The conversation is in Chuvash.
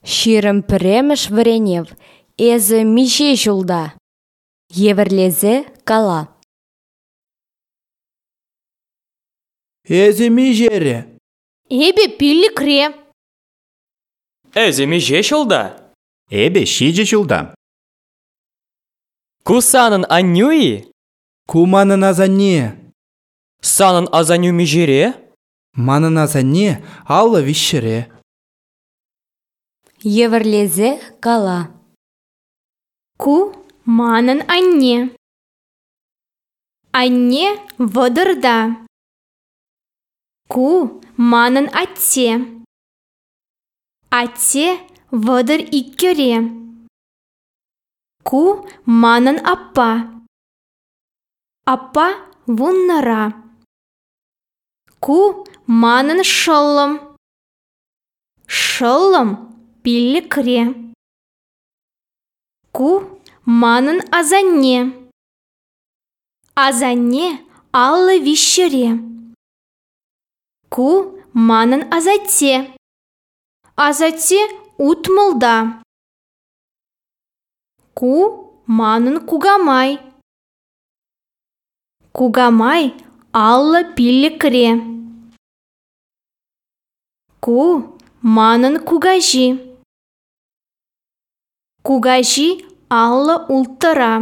21-мӗш вӗренев. Эсӗ миҫе ҫулта? Евӗрлесе кала. Эсӗ миҫере? Эпӗ пиллӗкре. Эсӗ миҫе ҫулта? Эпӗ ҫичӗ ҫулта. Ку санӑн аннӳ-и? Ку манӑн асанне. Санӑн асаннӳ миҫере? Манӑн асанне 53-ре. Евӗрлесе кала. Ку манӑн анне. Анне 30-та. Ку манӑн атте. Атте 32-ре. Ку манӑн аппа. Аппа 10-ра. Ку манӑн шӑллӑм. Шӑллӑм 5-ре. Ку манӑн асанне. Асанне 53-ре. Ку манӑн асатте. Асатте 60-та. Ку манӑн кукамай. Кукамай 55-ре. Ку манӑн кукаҫи. Кукаҫи 56-ра.